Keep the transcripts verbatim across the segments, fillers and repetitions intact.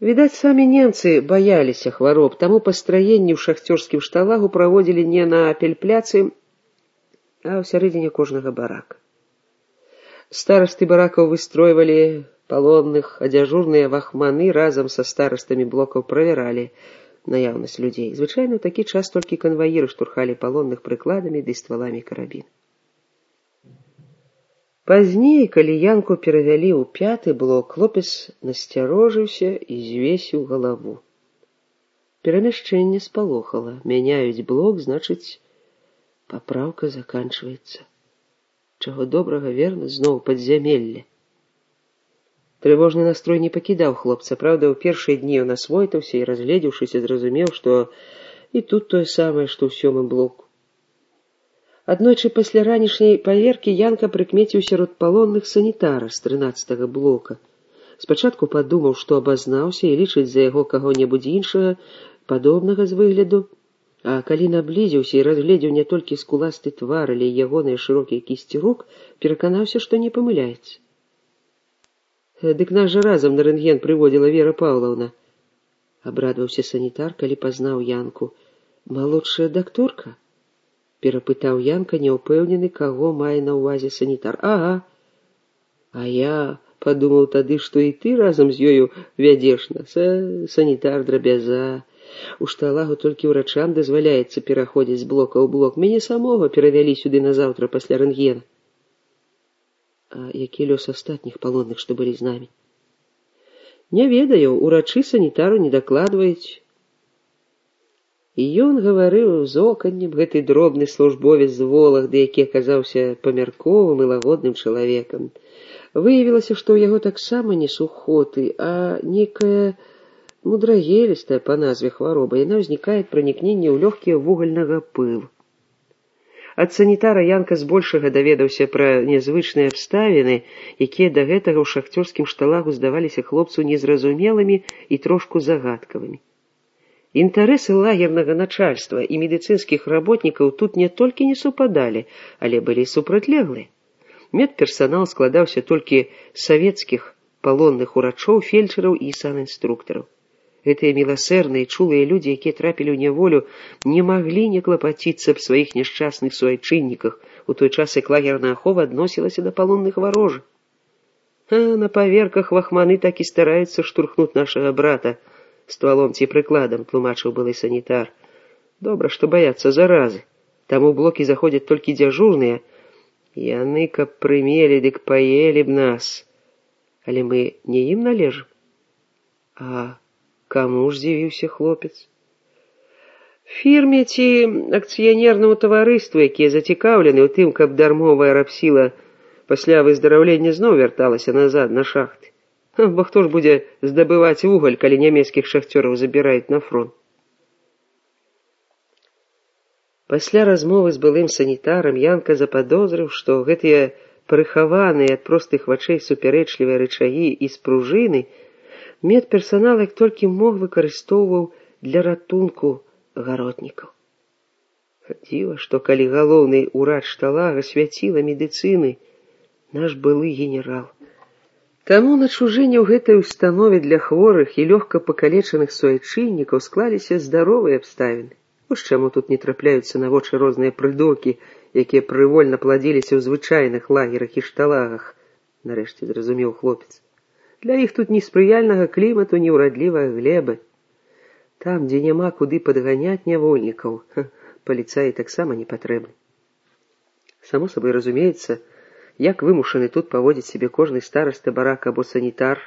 Відаць, самі немцы баяліся хвароб, таму пастраенні ў шахцёрскім шталагу праводзілі не на пельпляцы, а ў сярэдзіне кожнага барака. Старасты баракаў выстройвалі палонных, а дзяжурныя вахманы разам са старастамі блокаў правяралі наяўнасць людзей. Звычайна ў такі час толькі канваіры штурхалі палонных прыкладамі ды стваламі карабін. Пазней, калі Янку перавялі ў пяты блок, хлопец насцярожыўся і звесіў галаву. Перамяшчэнне спалохала. Мяняюць блок, значыць, папраўка заканчваецца. Чаго добрага, верна, зноў падзямелле. Трывожны настрой не пакідаў хлопца. Праўда, ў першыя дні ён асвойтаўся і, разгледзеўшыся, зразумеў, што і тут тое самае, што ў сёмым блоку. Аднойчы пасля ранішняй паверкі Янка прыкмеціў сярод палонных санітара з трынаццатага блока. Спачатку падумаў, што абазнаўся і лічыць за яго каго-небудзь іншага, падобнага з выгляду, а калі наблізіўся і разгледзеў не толькі скуласты твар, але і ягоныя шырокія кісці рук, пераканаўся, што не памыляецца. Дык нас жа разам на рэнтген прыводзіла Вера Паўлаўна. Абрадаваўся санітар, калі пазнаў Янку. Малодшая дакторка? Перапытаў Янка, няўпэўнены, каго мае на ўвазе санітар. Ага. А я падумаў тады, што і ты разам з ёю вядзеш нас. А санітар драбяза. У шталагу толькі ўрачам дазваляецца пераходзіць з блока ў блок. Мяне самога перавялі сюды назаўтра пасля рэнтгена. А які лёс астатніх палонных, што былі з намі? Не ведаю, урачы санітару не дакладваюць. І ён гаварыў з оканнем, гэты дробны службовец з Вологды, які аказаўся памярковым і лагодным чалавекам. Выявілася, што ў яго таксама не сухоты, а некая мудрагелістая па назве хвароба. Яна ўзнікае ад пранікнення ў лёгкія вугальнага пылу. Ад санітара Янка збольшага даведаўся пра нязвычныя абставіны, якія да гэтага ў шахцёрскім шталагу здаваліся хлопцу незразумелымі і трошку загадкавымі. Інтарэсы лагернага начальства і медыцынскіх работнікаў тут не толькі не супадалі, але былі супрацьлеглыя. Медперсанал складаўся толькі з савецкіх палонных урачоў, фельчараў і санінструктараў. Гэтыя міласэрныя, чулыя людзі, якія трапілі ў няволю, не маглі не клапаціцца аб сваіх няшчасных суайчынніках, у той час як лагерная ахова адносілася да палонных варожых. А на паверках вахманы так і стараюцца штурхнуць нашага брата ствалом ці прыкладам, тлумачыў былы санітар. Добра, што баяцца заразы. Там у блокі заходзяць толькі дзяжурныя. Яны, каб прымелі, дык паелі б нас. Але мы не ім належым. А каму ж здзівіўся хлопец? Фірме ці акцыянернаму таварыству, якія зацікаўлены ў тым, каб дармовая рабсіла пасля выздараўлення зноў вярталася назад на шахты. Бо хто ж будзе здабываць вугаль, калі нямецкіх шахцёраў забіраюць на фронт? Пасля размовы з былым санітарам Янка западозрыў, што гэтыя прыхаваныя ад простых вачэй супярэчлівыя рычагі і спружыны медперсанал як толькі мог выкарыстоўваў для ратунку гаротнікаў. Дзіва, што калі галоўны ўрач шталага свяціла медыцыны наш былы генерал. Таму на чужыне ў гэтай установе для хворых і лёгка пакалечаных суайчыннікаў склаліся здаровыя абставіны. Вось чаму тут не трапляюцца на вочы розныя прыдуркі, якія прывольна пладзіліся ў звычайных лагерах і шталагах, нарэшце зразумеў хлопец. Для іх тут ні спрыяльнага клімату, ні ўрадлівай глебы. Там, дзе няма куды падганяць нявольнікаў, паліцаі таксама не патрэбны. Само сабой разумеецца, як вымушаны тут паводзіць сябе кожны стараста барака або санітар,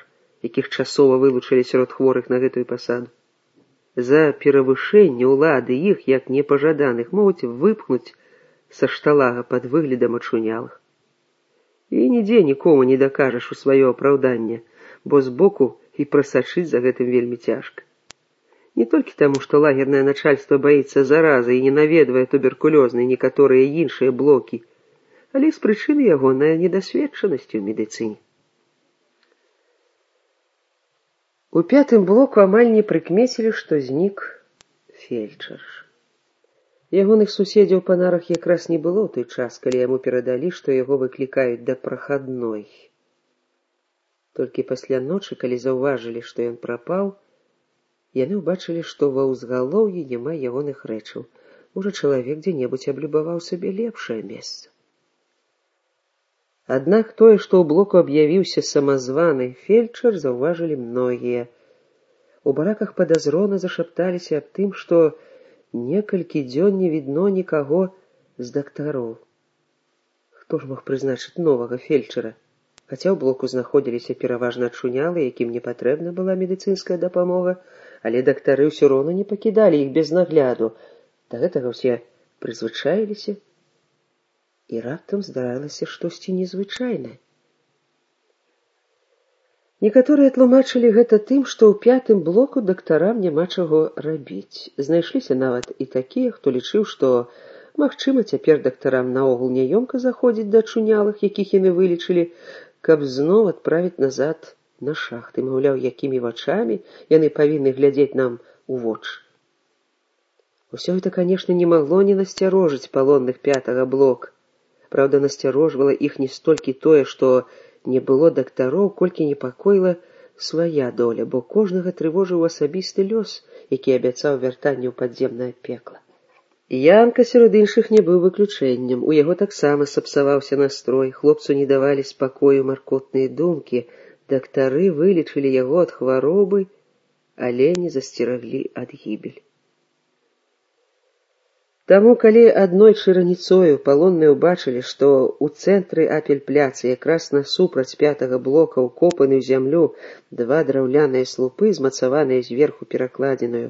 якіх часова вылучылі сярод хворых на гэтую пасаду. За перавышэнне ўлады іх, як непажаданых, могуць выпхнуць са шталага пад выглядам ачунялых. І нідзе нікому не дакажаш у сваё апраўданне, бо збоку і прасачыць за гэтым вельмі цяжка. Не толькі таму, што лагернае начальства баіцца заразы і не наведвае туберкулёзныя некаторыя іншыя блокі, але з прычыны ягонай недасведчанасці ў медыцыне. У пятым блоку амаль не прыкмецілі, што знік фельчар. Ягоных суседзяў па нарах якраз не было ў той час, калі яму перадалі, што яго выклікаюць да прахадной. Толькі пасля ночы, калі заўважылі, што ён прапаў, Яны ўбачылі, што ва ўзгалоўі няма ягоных рэчаў. Можа, чалавек дзе-небудзь аблюбаваў сабе лепшае месца. Аднак тое, што ў блоку аб'явіўся самазваны фельчар, заўважылі многія. У бараках падазрона зашапталіся аб тым, што некалькі дзён не відно нікаго з дактароў. Хто ж мог прызначыць новага фельчара? Хаця ў блоку знаходзіліся пераважна ачунялы, якім не патрэбна была медыцынская дапамога, але дактары ўсё роўна не пакідалі іх без нагляду. Да гэтага ўсе прызвычаіліся, і раптам здаралася штосьці незвычайнае. Некаторыя тлумачылі гэта тым, што ў пятым блоку дактарам няма чаго рабіць. Знайшліся нават і такія, хто лічыў, што, магчыма, цяпер дактарам наогул няёмка заходзіць да ачунялых, якіх яны вылечылі, каб зноў адправіць назад на шахты, маўляў, якімі вачамі яны павінны глядзець нам у вочы. Усё гэта, канешне, не магло не насцярожыць палонных пятага блока. Праўда, насцярожвала іх не столькі тое, што не было дактароў, колькі непакоіла свая доля, бо кожнага трывожыў асабісты лёс, які абяцаў вяртанне ў падземнае пекла. Янка сярод іншых не быў выключэннем. У яго таксама сапсаваўся настрой, хлопцу не давалі спакою маркотныя думкі. Дактары вылечылі яго ад хваробы, але не засцераглі ад гібелі. Таму, калі аднойчы раніцою палонныя ўбачылі, што ў цэнтры апельпляцы якраз насупраць пятага блока ўкопаны ў зямлю два драўляныя слупы, змацаваныя зверху перакладзінаю,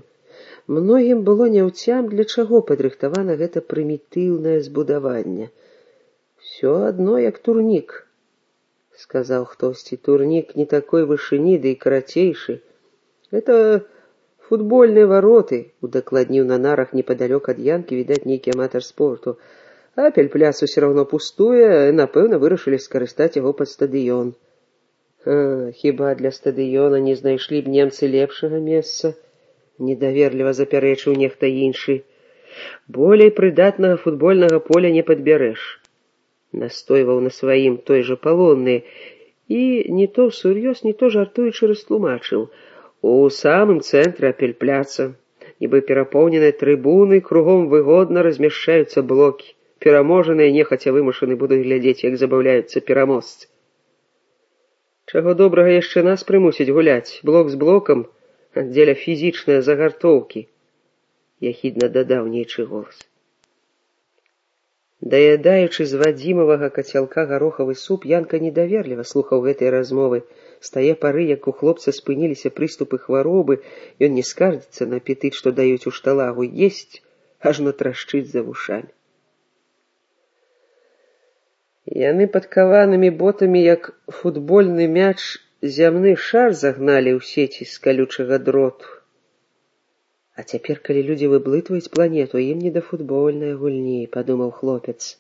многім было няўцям, для чаго падрыхтавана гэта прымітыўнае збудаванне. «Всё адно, як турнік», — сказаў хтосьці. «Турнік не такой вышыні, ды і карацейшы. Гэта футбольныя вароты», — удакладніў на нарах непадалёк ад Янкі, відаць, нейкі аматар спорту. «Апельпляц усё роўно пустуе, напэўна, вырашылі скарыстаць яго пад стадыён». А, хіба для стадыёна не знайшлі б немцы лепшага месца? Недаверліва запярэчыў нехта іншы. «Болей прыдатнага футбольнага поля не падбярэш», — настойваў на сваім той жа палонны, і не то ўсур'ёз, не то жартуючы растлумачыў. У самым цэнтры апельпляца, нібы перапоўненыя трыбуны, кругом выгодна размяшчаюцца блокі. Пераможаныя нехаця вымушаны будуць глядзець, як забаўляюцца пераможцы. Чаго добрага яшчэ нас прымусіць гуляць, блок з блокам, дзеля фізічныя загартоўкі», — яхідна дадаў нейчы голас. Даядаючы з вадзімавага кацялка гарохавы суп, Янка недаверліва слухаў гэтыя размовы. З тае пары, як у хлопца спыніліся прыступы хваробы, ён не скардзіцца на апетыт, што даюць у шталагу, есць, ажно трашчыць за вушамі. Яны падкаванымі ботамі, як футбольны мяч, зямны шар загналі ў сеці з калючага дроту. А цяпер, калі людзі выблытваюць планету, ім не да футбольнай гульні, падумаў хлопец.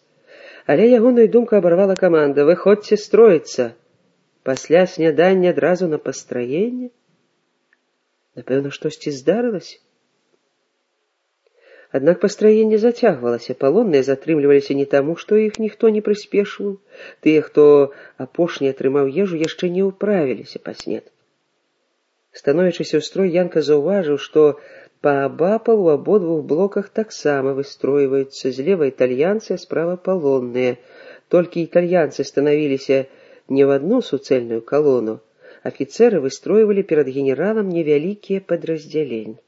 Але ягоную думку абарвала каманда: «Выходзьце строіцца!» Пасля снядання адразу на пастраенне? Напэўна, штосьці здарылася? Аднак пастраенне зацягвалася, палонныя затрымліваліся не таму, што іх ніхто не прыспешваў. Тыя, хто апошні атрымаў ежу, яшчэ не ўправіліся па снед. Становячыся ў строй, Янка заўважыў, што паабапал у абодвух блоках таксама выстройваюцца. Злева італьянцы, а справа палонныя. Толькі італьянцы станавіліся не в одну суцэльную колонну. Офицеры выстройвалі перад генералам невялікія падраздзяленні.